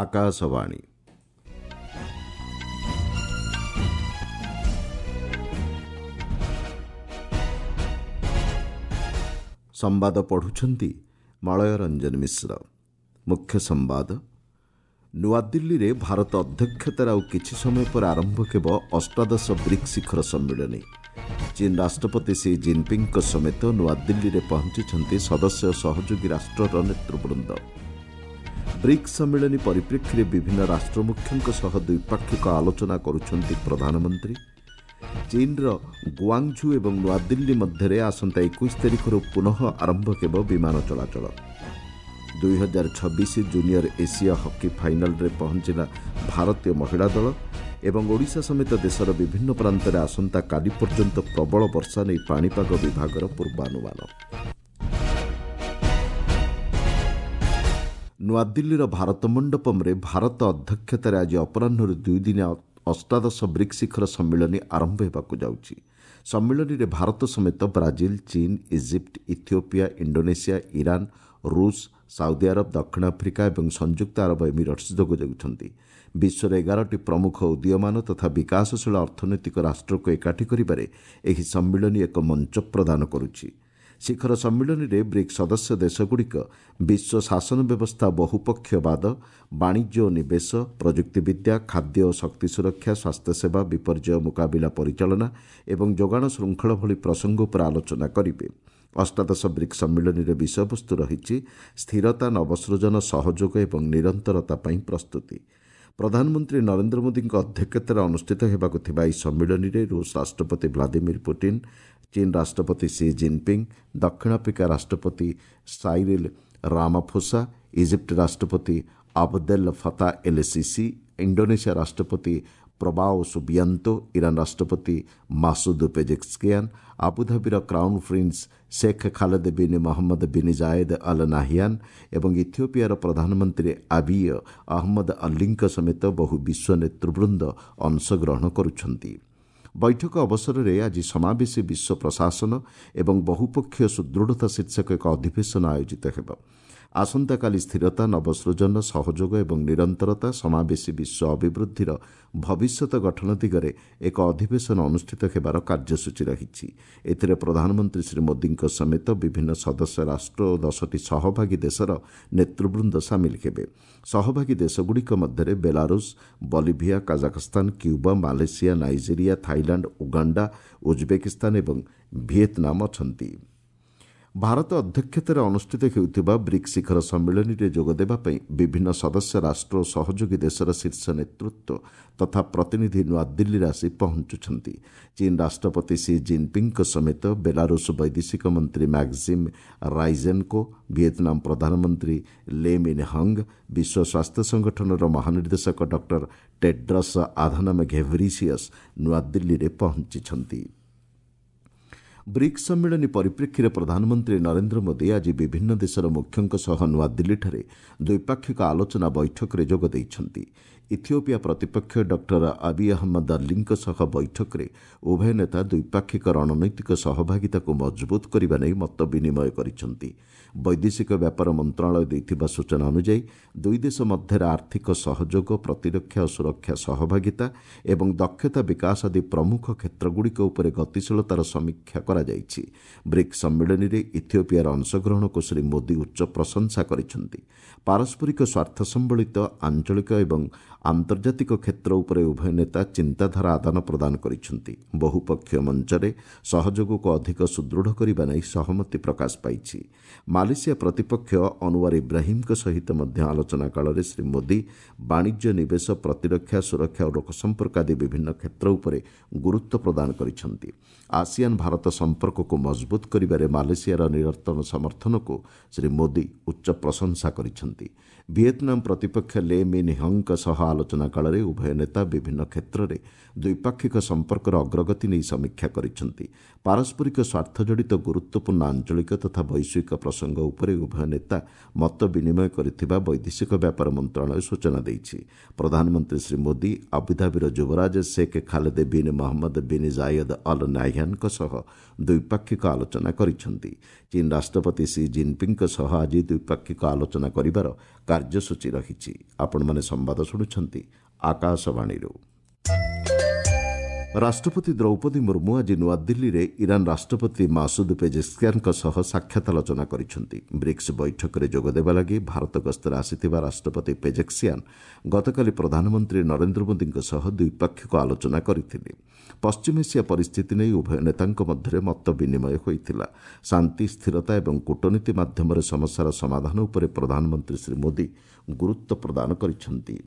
ଆକାଶବାଣୀ। ସମ୍ବାଦ ପଢ଼ୁଛନ୍ତି ମଳୟ ରଞ୍ଜନ ମିଶ୍ର। ମୁଖ୍ୟ ସମ୍ବାଦ। ନୂଆଦିଲ୍ଲୀରେ ଭାରତ ଅଧ୍ୟକ୍ଷତାରେ ଆଉ କିଛି ସମୟ ପରେ ଆରମ୍ଭ ହେବ ଅଷ୍ଟାଦଶ ବ୍ରିକ୍ସ ଶିଖର ସମ୍ମିଳନୀ। ଚୀନ ରାଷ୍ଟ୍ରପତି ସି ଜିନ୍ପିଙ୍ଗଙ୍କ ସମେତ ନୂଆଦିଲ୍ଲୀରେ ପହଞ୍ଚିଛନ୍ତି ସଦସ୍ୟ ସହଯୋଗୀ ରାଷ୍ଟ୍ରର ନେତୃବୃନ୍ଦ। ବ୍ରିକ୍ସ ସମ୍ମିଳନୀ ପରିପ୍ରେକ୍ଷୀରେ ବିଭିନ୍ନ ରାଷ୍ଟ୍ରମୁଖ୍ୟଙ୍କ ସହ ଦ୍ୱିପାକ୍ଷିକ ଆଲୋଚନା କରୁଛନ୍ତି ପ୍ରଧାନମନ୍ତ୍ରୀ। ଚୀନର ଗୁଆଙ୍ଗଝୁ ଏବଂ ନୂଆଦିଲ୍ଲୀ ମଧ୍ୟରେ ଆସନ୍ତା 21 ତାରିଖରୁ ପୁନଃ ଆରମ୍ଭ ହେବ ବିମାନ ଚଳାଚଳ। 2026 ଜୁନିୟର ଏସୀୟ ହକି ଫାଇନାଲରେ ପହଞ୍ଚିଲା ଭାରତୀୟ ମହିଳା ଦଳ ଏବଂ ଓଡ଼ିଶା ସମେତ ଦେଶର ବିଭିନ୍ନ ପ୍ରାନ୍ତରେ ଆସନ୍ତାକାଲି ପର୍ଯ୍ୟନ୍ତ ପ୍ରବଳ ବର୍ଷା ନେଇ ପାଣିପାଗ ବିଭାଗର ପୂର୍ବାନୁମାନ। ନୂଆଦିଲ୍ଲୀର ଭାରତ ମଣ୍ଡପମ୍ରେ ଭାରତ ଅଧ୍ୟକ୍ଷତାରେ ଆଜି ଅପରାହ୍ନରୁ ଦୁଇଦିନିଆ ଅଷ୍ଟାଦଶ ବ୍ରିକ୍ସ ଶିଖର ସମ୍ମିଳନୀ ଆରମ୍ଭ ହେବାକୁ ଯାଉଛି। ସମ୍ମିଳନୀରେ ଭାରତ ସମେତ ବ୍ରାଜିଲ, ଚୀନ, ଇଜିପ୍ଟ, ଇଥିଓପିଆ, ଇଣ୍ଡୋନେସିଆ, ଇରାନ, ରୁଷ, ସାଉଦି ଆରବ, ଦକ୍ଷିଣ ଆଫ୍ରିକା ଏବଂ ସଂଯୁକ୍ତ ଆରବ ଏମିରେଟ୍ସ ଯୋଗ ଦେଉଛନ୍ତି। ବିଶ୍ୱର 11ଟି ପ୍ରମୁଖ ଉଦୀୟମାନ ତଥା ବିକାଶଶୀଳ ଅର୍ଥନୈତିକ ରାଷ୍ଟ୍ରକୁ ଏକାଠି କରିବାରେ ଏହି ସମ୍ମିଳନୀ ଏକ ମଞ୍ଚ ପ୍ରଦାନ କରୁଛି। ଶିଖର ସମ୍ମିଳନୀରେ ବ୍ରିକ୍ସ ସଦସ୍ୟ ଦେଶଗୁଡ଼ିକ ବିଶ୍ୱ ଶାସନ ବ୍ୟବସ୍ଥା, ବହୁପକ୍ଷବାଦ, ବାଣିଜ୍ୟ ଓ ନିବେଶ, ପ୍ରଯୁକ୍ତିବିଦ୍ୟା, ଖାଦ୍ୟ ଓ ଶକ୍ତି ସୁରକ୍ଷା, ସ୍ୱାସ୍ଥ୍ୟସେବା, ବିପର୍ଯ୍ୟୟ ମୁକାବିଲା ପରିଚାଳନା ଏବଂ ଯୋଗାଣ ଶୃଙ୍ଖଳ ଭଳି ପ୍ରସଙ୍ଗ ଉପରେ ଆଲୋଚନା କରିବେ। ଅଷ୍ଟାଦଶ ବ୍ରିକ୍ସ ସମ୍ମିଳନୀର ବିଷୟବସ୍ତୁ ରହିଛି ସ୍ଥିରତା, ନବସୃଜନ, ସହଯୋଗ ଏବଂ ନିରନ୍ତରତା ପାଇଁ ପ୍ରସ୍ତୁତି। ପ୍ରଧାନମନ୍ତ୍ରୀ ନରେନ୍ଦ୍ର ମୋଦିଙ୍କ ଅଧ୍ୟକ୍ଷତାରେ ଅନୁଷ୍ଠିତ ହେବାକୁ ଥିବା ଏହି ସମ୍ମିଳନୀରେ ରୁଷ ରାଷ୍ଟ୍ରପତି ଭ୍ଲାଦିମିର ପୁଟିନ୍, ଚୀନ ରାଷ୍ଟ୍ରପତି ସି ଜିନ୍ପିଙ୍ଗ, ଦକ୍ଷିଣ ଆଫ୍ରିକା ରାଷ୍ଟ୍ରପତି ସାଇରିଲ୍ ରାମାଫୋସା, ଇଜିପ୍ଟ ରାଷ୍ଟ୍ରପତି ଆବଦେଲ ଫତା ଏଲ୍ ସିସି, ଇଣ୍ଡୋନେସିଆ ରାଷ୍ଟ୍ରପତି ପ୍ରବାଓ ସୁବିଆନ୍ତୋ, ଇରାନ ରାଷ୍ଟ୍ରପତି Masood ପେଜେସ୍କିଆନ୍, ଆବୁଧାବିର crown prince Sheikh Khaled bin Mohammed bin Zayed Al Nahyan ଏବଂ ଇଥିଓପିଆର ପ୍ରଧାନମନ୍ତ୍ରୀ ଆବିୟ ଅହମ୍ମଦ ଅଲ୍ଲୀଙ୍କ ସମେତ ବହୁ ବିଶ୍ୱ ନେତୃବୃନ୍ଦ ଅଂଶଗ୍ରହଣ କରୁଛନ୍ତି। ବୈଠକ ଅବସରରେ ଆଜି ସମାବେଶୀ ବିଶ୍ୱ ପ୍ରଶାସନ ଏବଂ ବହୁପକ୍ଷୀୟ ସୁଦୃଢ଼ତା ଶୀର୍ଷକ ଏକ ଅଧିବେଶନ ଆୟୋଜିତ ହେବ। ଆସନ୍ତାକାଲି ସ୍ଥିରତା, ନବସୃଜନ, ସହଯୋଗ ଏବଂ ନିରନ୍ତରତା ସମାବେଶୀ ବିଶ୍ୱ ଅଭିବୃଦ୍ଧିର ଭବିଷ୍ୟତ ଗଠନ ଦିଗରେ ଏକ ଅଧିବେଶନ ଅନୁଷ୍ଠିତ ହେବାର କାର୍ଯ୍ୟସୂଚୀ ରହିଛି। ଏଥିରେ ପ୍ରଧାନମନ୍ତ୍ରୀ ଶ୍ରୀ ମୋଦିଙ୍କ ସମେତ ବିଭିନ୍ନ ସଦସ୍ୟ ରାଷ୍ଟ୍ର ଓ 10ଟି ସହଭାଗୀ ଦେଶର ନେତୃବୃନ୍ଦ ସାମିଲ ହେବେ। ସହଭାଗୀ ଦେଶଗୁଡ଼ିକ ମଧ୍ୟରେ Belarus, Bolivia, Kazakhstan, Cuba, Malaysia, Nigeria, Thailand, Uganda, Uzbekistan ଏବଂ ଭିଏତନାମ ଅଛନ୍ତି। ଭାରତ ଅଧ୍ୟକ୍ଷତାରେ ଅନୁଷ୍ଠିତ ହେଉଥିବା ବ୍ରିକ୍ସ ଶିଖର ସମ୍ମିଳନୀରେ ଯୋଗଦେବା ପାଇଁ ବିଭିନ୍ନ ସଦସ୍ୟ ରାଷ୍ଟ୍ର ଓ ସହଯୋଗୀ ଦେଶର ଶୀର୍ଷ ନେତୃତ୍ୱ ତଥା ପ୍ରତିନିଧି ନୂଆଦିଲ୍ଲୀରେ ଆସି ପହଞ୍ଚୁଛନ୍ତି। ଚୀନ ରାଷ୍ଟ୍ରପତି ସି ଜିନ୍ପିଙ୍ଗଙ୍କ ସମେତ ବେଲାରୁଷ ବୈଦେଶିକ ମନ୍ତ୍ରୀ ମ୍ୟାକ୍ସିମ୍ ରାଇଜେନ୍କୋ, ଭିଏତନାମ ପ୍ରଧାନମନ୍ତ୍ରୀ ଲେ ମିନ୍ ହଙ୍ଗ, ବିଶ୍ୱ ସ୍ୱାସ୍ଥ୍ୟ ସଂଗଠନର ମହାନିର୍ଦ୍ଦେଶକ ଡକ୍ଟର ଟେଡ୍ରସ୍ ଆଧାନମ୍ ଘେବ୍ରିସିୟସ୍ ନୂଆଦିଲ୍ଲୀରେ ପହଞ୍ଚିଛନ୍ତି। ବ୍ରିକ୍ସ ସମ୍ମିଳନୀ ପରିପ୍ରେକ୍ଷୀରେ ପ୍ରଧାନମନ୍ତ୍ରୀ ନରେନ୍ଦ୍ର ମୋଦି ଆଜି ବିଭିନ୍ନ ଦେଶର ମୁଖ୍ୟଙ୍କ ସହ ନୂଆଦିଲ୍ଲୀଠାରେ ଦ୍ୱିପାକ୍ଷିକ ଆଲୋଚନା ବୈଠକରେ ଯୋଗ ଦେଇଛନ୍ତି। ଇଥିଓପିଆ ପ୍ରତିପକ୍ଷ ଡକ୍ଟର ଆବି ଅହମ୍ମଦ ଅଲ୍ଲୀଙ୍କ ସହ ବୈଠକରେ ଉଭୟ ନେତା ଦ୍ୱିପାକ୍ଷିକ ରଣନୈତିକ ସହଭାଗିତାକୁ ମଜବୁତ କରିବା ନେଇ ମତ ବିନିମୟ କରିଛନ୍ତି। ବୈଦେଶିକ ବ୍ୟାପାର ମନ୍ତ୍ରଣାଳୟ ଦେଇଥିବା ସୂଚନା ଅନୁଯାୟୀ ଦୁଇ ଦେଶ ମଧ୍ୟରେ ଆର୍ଥିକ ସହଯୋଗ, ପ୍ରତିରକ୍ଷା ଓ ସୁରକ୍ଷା ସହଭାଗିତା ଏବଂ ଦକ୍ଷତା ବିକାଶ ଆଦି ପ୍ରମୁଖ କ୍ଷେତ୍ରଗୁଡ଼ିକ ଉପରେ ଗତିଶୀଳତାର ସମୀକ୍ଷା କରାଯାଇଛି। ବ୍ରିକ୍ସ ସମ୍ମିଳନୀରେ ଇଥିଓପିଆର ଅଂଶଗ୍ରହଣକୁ ଶ୍ରୀ ମୋଦି ଉଚ୍ଚ ପ୍ରଶଂସା କରିଛନ୍ତି। ପାରସ୍ପରିକ ସ୍ୱାର୍ଥ ସମ୍ବଳିତ ଆଞ୍ଚଳିକ ଏବଂ ଆନ୍ତର୍ଜାତିକ କ୍ଷେତ୍ର ଉପରେ ଉଭୟ ନେତା ଚିନ୍ତାଧାରା ଆଦାନ ପ୍ରଦାନ କରିଛନ୍ତି। ବହୁପକ୍ଷୀୟ ମଞ୍ଚରେ ସହଯୋଗକୁ ଅଧିକ ସୁଦୃଢ଼ କରିବା ନେଇ ସହମତି ପ୍ରକାଶ ପାଇଛି। ମାଲେସିଆ ପ୍ରତିପକ୍ଷ ଅନୱାର ଇବ୍ରାହିମ୍ଙ୍କ ସହିତ ମଧ୍ୟ ଆଲୋଚନା କାଳରେ ଶ୍ରୀ ମୋଦି ବାଣିଜ୍ୟ, ନିବେଶ, ପ୍ରତିରକ୍ଷା, ସୁରକ୍ଷା ଓ ଲୋକସମ୍ପର୍କ ଆଦି ବିଭିନ୍ନ କ୍ଷେତ୍ର ଉପରେ ଗୁରୁତ୍ୱ ପ୍ରଦାନ କରିଛନ୍ତି। ଆସିଆନ ଭାରତ ସମ୍ପର୍କକୁ ମଜବୁତ କରିବାରେ ମାଲେସିଆର ନିରନ୍ତର ସମର୍ଥନକୁ ଶ୍ରୀ ମୋଦି ଉଚ୍ଚ ପ୍ରଶଂସା କରିଛନ୍ତି। ଭିଏତନାମ ପ୍ରତିପକ୍ଷ ଲେ ମିନ୍ ହଙ୍ଗଙ୍କ ସହ ଆଲୋଚନା କାଳରେ ଉଭୟ ନେତା ବିଭିନ୍ନ କ୍ଷେତ୍ରରେ ଦ୍ୱିପାକ୍ଷିକ ସମ୍ପର୍କର ଅଗ୍ରଗତି ନେଇ ସମୀକ୍ଷା କରିଛନ୍ତି। ପାରସ୍ପରିକ ସ୍ୱାର୍ଥ ଜଡ଼ିତ ଗୁରୁତ୍ୱପୂର୍ଣ୍ଣ ଆଞ୍ଚଳିକ ତଥା ବୈଶ୍ୱିକ ପ୍ରସଙ୍ଗ ଉପରେ ଉଭୟ ନେତା ମତ ବିନିମୟ କରିଥିବା ବୈଦେଶିକ ବ୍ୟାପାର ମନ୍ତ୍ରଣାଳୟ ସୂଚନା ଦେଇଛି। ପ୍ରଧାନମନ୍ତ୍ରୀ ଶ୍ରୀ ମୋଦି ଆବୁଧାବିର ଯୁବରାଜ Sheikh Khaled bin Mohamed bin Zayed Al ନାହ୍ୟାନ୍ଙ୍କ ସହ ଦ୍ୱିପାକ୍ଷିକ ଆଲୋଚନା କରିଛନ୍ତି। ଚୀନ୍ ରାଷ୍ଟ୍ରପତି ସି ଜିନ୍ପିଙ୍ଗଙ୍କ ସହ ଆଜି ଦ୍ୱିପାକ୍ଷିକ ଆଲୋଚନା କରିବାର କାର୍ଯ୍ୟସୂଚୀ ରହିଛି। ଆପଣମାନେ ସମ୍ବାଦ ଶୁଣୁଛନ୍ତି ଆକାଶବାଣୀରୁ। ରାଷ୍ଟ୍ରପତି ଦ୍ରୌପଦୀ ମୁର୍ମୁ ଆଜି ନୂଆଦିଲ୍ଲୀରେ ଇରାନ୍ ରାଷ୍ଟ୍ରପତି ମାସୁଦ ପେଜେସ୍କିଆନଙ୍କ ସହ ସାକ୍ଷାତ ଆଲୋଚନା କରିଛନ୍ତି। ବ୍ରିକ୍ସ ବୈଠକରେ ଯୋଗଦେବା ଲାଗି ଭାରତ ଗସ୍ତରେ ଆସିଥିବା ରାଷ୍ଟ୍ରପତି ପେଜେସ୍କିଆନ୍ ଗତକାଲି ପ୍ରଧାନମନ୍ତ୍ରୀ ନରେନ୍ଦ୍ର ମୋଦିଙ୍କ ସହ ଦ୍ୱିପାକ୍ଷିକ ଆଲୋଚନା କରିଥିଲେ। ପଶ୍ଚିମ ଏସିଆ ପରିସ୍ଥିତି ନେଇ ଉଭୟ ନେତାଙ୍କ ମଧ୍ୟରେ ମତ ବିନିମୟ ହୋଇଥିଲା। ଶାନ୍ତି, ସ୍ଥିରତା ଏବଂ କୂଟନୀତି ମାଧ୍ୟମରେ ସମସ୍ୟାର ସମାଧାନ ଉପରେ ପ୍ରଧାନମନ୍ତ୍ରୀ ଶ୍ରୀ ମୋଦି ଗୁରୁତ୍ୱ ପ୍ରଦାନ କରିଛନ୍ତି।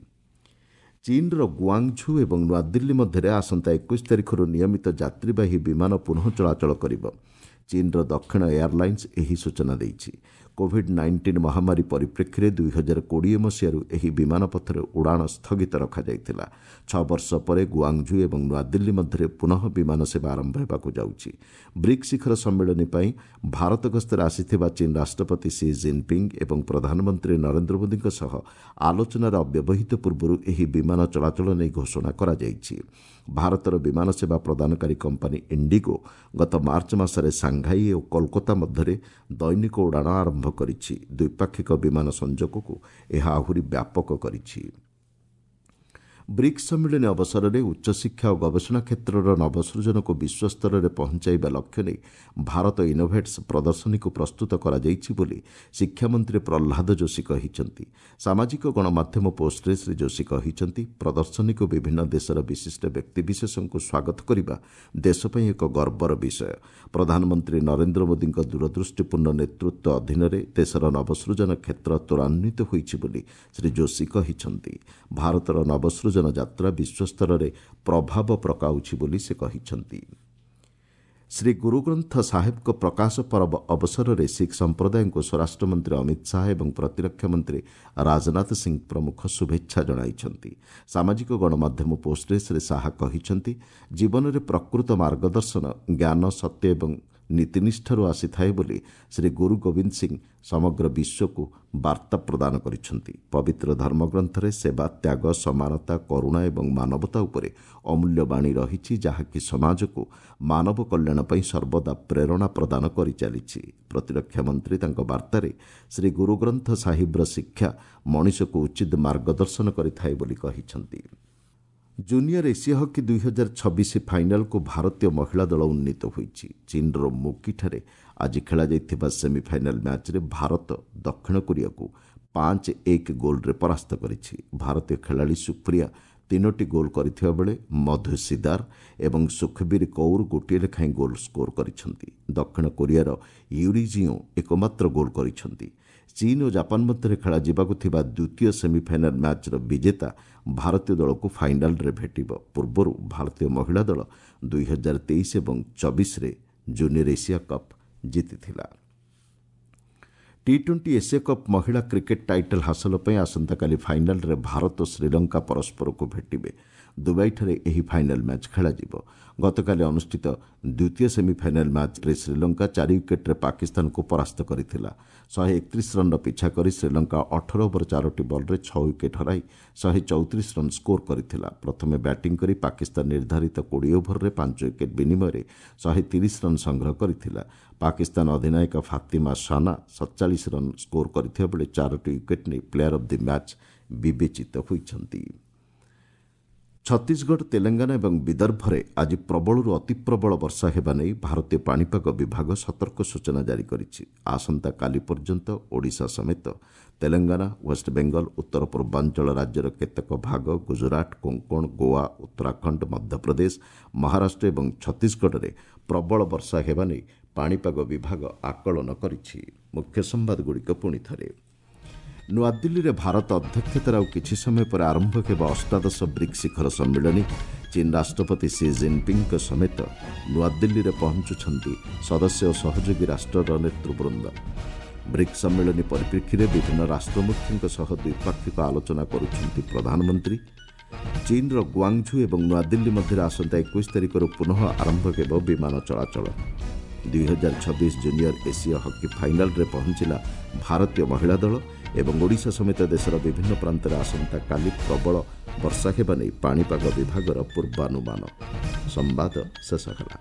ଚୀନ୍ର ଗୁଆଙ୍ଗଝୁ ଏବଂ ନୂଆଦିଲ୍ଲୀ ମଧ୍ୟରେ ଆସନ୍ତା 21 ତାରିଖରୁ ନିୟମିତ ଯାତ୍ରୀବାହୀ ବିମାନ ପୁନଃ ଚଳାଚଳ କରିବ। ଚୀନ୍ର ଦକ୍ଷିଣ ଏୟାରଲାଇନ୍ସ ଏହି ସୂଚନା ଦେଇଛି। କୋଭିଡ୍ 19 ମହାମାରୀ ପରିପ୍ରେକ୍ଷୀରେ 2020 ମସିହାରୁ ଏହି ବିମାନ ପଥରେ ଉଡ଼ାଣ ସ୍ଥଗିତ ରଖାଯାଇଥିଲା। 6 ବର୍ଷ ପରେ ଗୁଆଙ୍ଗଝୁ ଏବଂ ନୂଆଦିଲ୍ଲୀ ମଧ୍ୟରେ ପୁନଃ ବିମାନ ସେବା ଆରମ୍ଭ ହେବାକୁ ଯାଉଛି। ବ୍ରିକ୍ସ ଶିଖର ସମ୍ମିଳନୀ ପାଇଁ ଭାରତ ଗସ୍ତରେ ଆସିଥିବା ଚୀନ୍ ରାଷ୍ଟ୍ରପତି ସି ଜିନ୍ପିଙ୍ଗ ଏବଂ ପ୍ରଧାନମନ୍ତ୍ରୀ ନରେନ୍ଦ୍ର ମୋଦିଙ୍କ ସହ ଆଲୋଚନାର ଅବ୍ୟବହିତ ପୂର୍ବରୁ ଏହି ବିମାନ ଚଳାଚଳ ନେଇ ଘୋଷଣା କରାଯାଇଛି। ଭାରତର ବିମାନ ସେବା ପ୍ରଦାନକାରୀ କମ୍ପାନୀ ଇଣ୍ଡିଗୋ ଗତ ମାର୍ଚ୍ଚ ମାସରେ ସାଂଘାଇ ଓ କୋଲକାତା ମଧ୍ୟରେ ଦୈନିକ ଉଡ଼ାଣ ଆରମ୍ଭ କରିଛି। ଦ୍ୱିପାକ୍ଷିକ ବିମାନ ସଂଯୋଗକୁ ଏହା ଆହୁରି ବ୍ୟାପକ କରିଛି। ବ୍ରିକ୍ସ ସମ୍ମିଳନୀ ଅବସରରେ ଉଚ୍ଚଶିକ୍ଷା ଓ ଗବେଷଣା କ୍ଷେତ୍ରର ନବସୃଜନକୁ ବିଶ୍ୱସ୍ତରରେ ପହଞ୍ଚାଇବା ଲକ୍ଷ୍ୟ ନେଇ ଭାରତ ଇନୋଭେଟ୍ସ ପ୍ରଦର୍ଶନୀକୁ ପ୍ରସ୍ତୁତ କରାଯାଇଛି ବୋଲି ଶିକ୍ଷାମନ୍ତ୍ରୀ ପ୍ରହ୍ଲାଦ ଯୋଶୀ କହିଛନ୍ତି। ସାମାଜିକ ଗଣମାଧ୍ୟମ ପୋଷ୍ଟରେ ଶ୍ରୀ ଯୋଶୀ କହିଛନ୍ତି, ପ୍ରଦର୍ଶନୀକୁ ବିଭିନ୍ନ ଦେଶର ବିଶିଷ୍ଟ ବ୍ୟକ୍ତିବିଶେଷଙ୍କୁ ସ୍ୱାଗତ କରିବା ଦେଶ ପାଇଁ ଏକ ଗର୍ବର ବିଷୟ। ପ୍ରଧାନମନ୍ତ୍ରୀ ନରେନ୍ଦ୍ର ମୋଦିଙ୍କ ଦୂରଦୃଷ୍ଟିପୂର୍ଣ୍ଣ ନେତୃତ୍ୱ ଅଧୀନରେ ଦେଶର ନବସୃଜନ କ୍ଷେତ୍ର ତ୍ୱରାନ୍ୱିତ ହୋଇଛି ବୋଲି ଶ୍ରୀ ଯୋଶୀ କହିଛନ୍ତି। ଭାରତର ନବସୃଜନ ଯାତ୍ରା ବିଶ୍ୱସ୍ତରରେ ପ୍ରଭାବ ପକାଉଛି ବୋଲି ସେ କହିଛନ୍ତି। ଶ୍ରୀ ଗୁରୁଗ୍ରନ୍ଥ ସାହେବଙ୍କ ପ୍ରକାଶ ପରବ ଅବସରରେ ଶିଖ୍ ସମ୍ପ୍ରଦାୟଙ୍କୁ ସ୍ୱରାଷ୍ଟ୍ରମନ୍ତ୍ରୀ ଅମିତ ଶାହା ଏବଂ ପ୍ରତିରକ୍ଷା ମନ୍ତ୍ରୀ ରାଜନାଥ ସିଂ ପ୍ରମୁଖ ଶୁଭେଚ୍ଛା ଜଣାଇଛନ୍ତି। ସାମାଜିକ ଗଣମାଧ୍ୟମ ପୋଷ୍ଟରେ ଶ୍ରୀ ଶାହା କହିଛନ୍ତି, ଜୀବନରେ ପ୍ରକୃତ ମାର୍ଗଦର୍ଶନ ଜ୍ଞାନ, ସତ୍ୟ ଏବଂ ନୀତିନିଷ୍ଠାରୁ ଆସିଥାଏ ବୋଲି ଶ୍ରୀ ଗୁରୁ ଗୋବିନ୍ଦ ସିଂ ସମଗ୍ର ବିଶ୍ୱକୁ ବାର୍ତ୍ତା ପ୍ରଦାନ କରିଛନ୍ତି। ପବିତ୍ର ଧର୍ମଗ୍ରନ୍ଥରେ ସେବା, ତ୍ୟାଗ, ସମାନତା, କରୁଣା ଏବଂ ମାନବତା ଉପରେ ଅମୂଲ୍ୟ ବାଣୀ ରହିଛି, ଯାହାକି ସମାଜକୁ ମାନବ କଲ୍ୟାଣ ପାଇଁ ସର୍ବଦା ପ୍ରେରଣା ପ୍ରଦାନ କରିଚାଲିଛି। ପ୍ରତିରକ୍ଷା ମନ୍ତ୍ରୀ ତାଙ୍କ ବାର୍ତ୍ତାରେ ଶ୍ରୀ ଗୁରୁଗ୍ରନ୍ଥ ସାହିବର ଶିକ୍ଷା ମଣିଷକୁ ଉଚିତ ମାର୍ଗଦର୍ଶନ କରିଥାଏ ବୋଲି କହିଛନ୍ତି। ଜୁନିୟର ଏସିଆ ହକି 2026 ଫାଇନାଲକୁ ଭାରତୀୟ ମହିଳା ଦଳ ଉନ୍ନୀତ ହୋଇଛି। ଚୀନ୍ର ମୁକିଠାରେ ଆଜି ଖେଳାଯାଇଥିବା ସେମିଫାଇନାଲ ମ୍ୟାଚ୍ରେ ଭାରତ ଦକ୍ଷିଣ କୋରିଆକୁ 5-1 ଗୋଲ୍ରେ ପରାସ୍ତ କରିଛି। ଭାରତୀୟ ଖେଳାଳି ସୁପ୍ରିୟା 3ଟି ଗୋଲ୍ କରିଥିବା ବେଳେ ମଧୁ ସିଦାର ଏବଂ ସୁଖବୀର କୌର ଗୋଟିଏ ଲେଖାଏଁ ଗୋଲ୍ ସ୍କୋର କରିଛନ୍ତି। ଦକ୍ଷିଣ କୋରିଆର ୟୁରିଜିଓ ଏକମାତ୍ର ଗୋଲ୍ କରିଛନ୍ତି। ଚୀନ୍ ଓ ଜାପାନ ମଧ୍ୟରେ ଖେଳାଯିବାକୁ ଥିବା ଦ୍ୱିତୀୟ ସେମିଫାଇନାଲ ମ୍ୟାଚ୍ର ବିଜେତା ଭାରତୀୟ ଦଳକୁ ଫାଇନାଲରେ ଭେଟିବ। ପୂର୍ବରୁ ଭାରତୀୟ ମହିଳା ଦଳ 2023 ଏବଂ 24ରେ ଜୁନିୟର ଏସିଆ କପ୍ ଜିତିଥିଲା। ଟି-20 ଏସିଆ କପ୍ ମହିଳା କ୍ରିକେଟ୍ ଟାଇଟଲ୍ ହାସଲ ପାଇଁ ଆସନ୍ତାକାଲି ଫାଇନାଲରେ ଭାରତ ଓ ଶ୍ରୀଲଙ୍କା ପରସ୍ପରକୁ ଭେଟିବେ। ଦୁବାଇଠାରେ ଏହି ଫାଇନାଲ ମ୍ୟାଚ୍ ଖେଳାଯିବ। ଗତକାଲି ଅନୁଷ୍ଠିତ ଦ୍ୱିତୀୟ ସେମିଫାଇନାଲ ମ୍ୟାଚ୍ରେ ଶ୍ରୀଲଙ୍କା 4 ୱିକେଟ୍ରେ ପାକିସ୍ତାନକୁ ପରାସ୍ତ କରିଥିଲା। 131 ରନ୍ର ପିଛା କରି ଶ୍ରୀଲଙ୍କା 18 ଓଭର 4ଟି ବଲ୍ରେ 6 ୱିକେଟ୍ ହରାଇ 134 ରନ୍ ସ୍କୋର କରିଥିଲା। ପ୍ରଥମେ ବ୍ୟାଟିଂ କରି ପାକିସ୍ତାନ ନିର୍ଦ୍ଧାରିତ 20 ଓଭରରେ 5 ୱିକେଟ୍ ବିନିମୟରେ 130 ରନ୍ ସଂଗ୍ରହ କରିଥିଲା। ପାକିସ୍ତାନ ଅଧିନାୟକ ଫାତିମା ସାନା 47 ରନ୍ ସ୍କୋର କରିଥିବା ବେଳେ 4ଟି ୱିକେଟ୍ ନେଇ ପ୍ଲେୟାର ଅଫ୍ the match ବିବେଚିତ ହୋଇଛନ୍ତି। ଛତିଶଗଡ଼, ତେଲେଙ୍ଗାନା ଏବଂ ବିଦର୍ଭରେ ଆଜି ପ୍ରବଳରୁ ଅତିପ୍ରବଳ ବର୍ଷା ହେବା ନେଇ ଭାରତୀୟ ପାଣିପାଗ ବିଭାଗ ସତର୍କ ସୂଚନା ଜାରି କରିଛି। ଆସନ୍ତାକାଲି ପର୍ଯ୍ୟନ୍ତ ଓଡ଼ିଶା ସମେତ ତେଲେଙ୍ଗାନା, ୱେଷ୍ଟବେଙ୍ଗଲ, ଉତ୍ତର ପୂର୍ବାଞ୍ଚଳ ରାଜ୍ୟର କେତେକ ଭାଗ, ଗୁଜରାଟ, କୋଙ୍କଣ, ଗୋଆ, ଉତ୍ତରାଖଣ୍ଡ, ମଧ୍ୟପ୍ରଦେଶ, ମହାରାଷ୍ଟ୍ର ଏବଂ ଛତିଶଗଡ଼ରେ ପ୍ରବଳ ବର୍ଷା ହେବା ନେଇ ପାଣିପାଗ ବିଭାଗ ଆକଳନ କରିଛି। ମୁଖ୍ୟ ସମ୍ବାଦଗୁଡ଼ିକ ପୁଣି ଥରେ। ନୂଆଦିଲ୍ଲୀରେ ଭାରତ ଅଧ୍ୟକ୍ଷତାରେ ଆଉ କିଛି ସମୟ ପରେ ଆରମ୍ଭ ହେବ 18 ବ୍ରିକ୍ସ ଶିଖର ସମ୍ମିଳନୀ। ଚୀନ୍ ରାଷ୍ଟ୍ରପତି ସି ଜିନ୍ପିଙ୍ଗଙ୍କ ସମେତ ନୂଆଦିଲ୍ଲୀରେ ପହଞ୍ଚୁଛନ୍ତି ସଦସ୍ୟ ଓ ସହଯୋଗୀ ରାଷ୍ଟ୍ରର ନେତୃବୃନ୍ଦ। ବ୍ରିକ୍ସ ସମ୍ମିଳନୀ ପରିପ୍ରେକ୍ଷୀରେ ବିଭିନ୍ନ ରାଷ୍ଟ୍ରମୁଖ୍ୟଙ୍କ ସହ ଦ୍ୱିପାକ୍ଷିକ ଆଲୋଚନା କରୁଛନ୍ତି ପ୍ରଧାନମନ୍ତ୍ରୀ। ଚୀନର ଗୁଆଙ୍ଗଝୁ ଏବଂ ନୂଆଦିଲ୍ଲୀ ମଧ୍ୟରେ ଆସନ୍ତା 21 ତାରିଖରୁ ପୁନଃ ଆରମ୍ଭ ହେବ ବିମାନ ଚଳାଚଳ। 2026 ଜୁନିୟର ଏସୀୟ ହକି ଫାଇନାଲରେ ପହଞ୍ଚିଲା ଭାରତୀୟ ମହିଳା ଦଳ। ଏବଂ ଓଡ଼ିଶା ସମେତ ଦେଶର ବିଭିନ୍ନ ପ୍ରାନ୍ତରେ ଆସନ୍ତାକାଲି ପ୍ରବଳ ବର୍ଷା ହେବା ନେଇ ପାଣିପାଗ ବିଭାଗର ପୂର୍ବାନୁମାନ। ସମ୍ବାଦ ଶେଷ ହେଲା।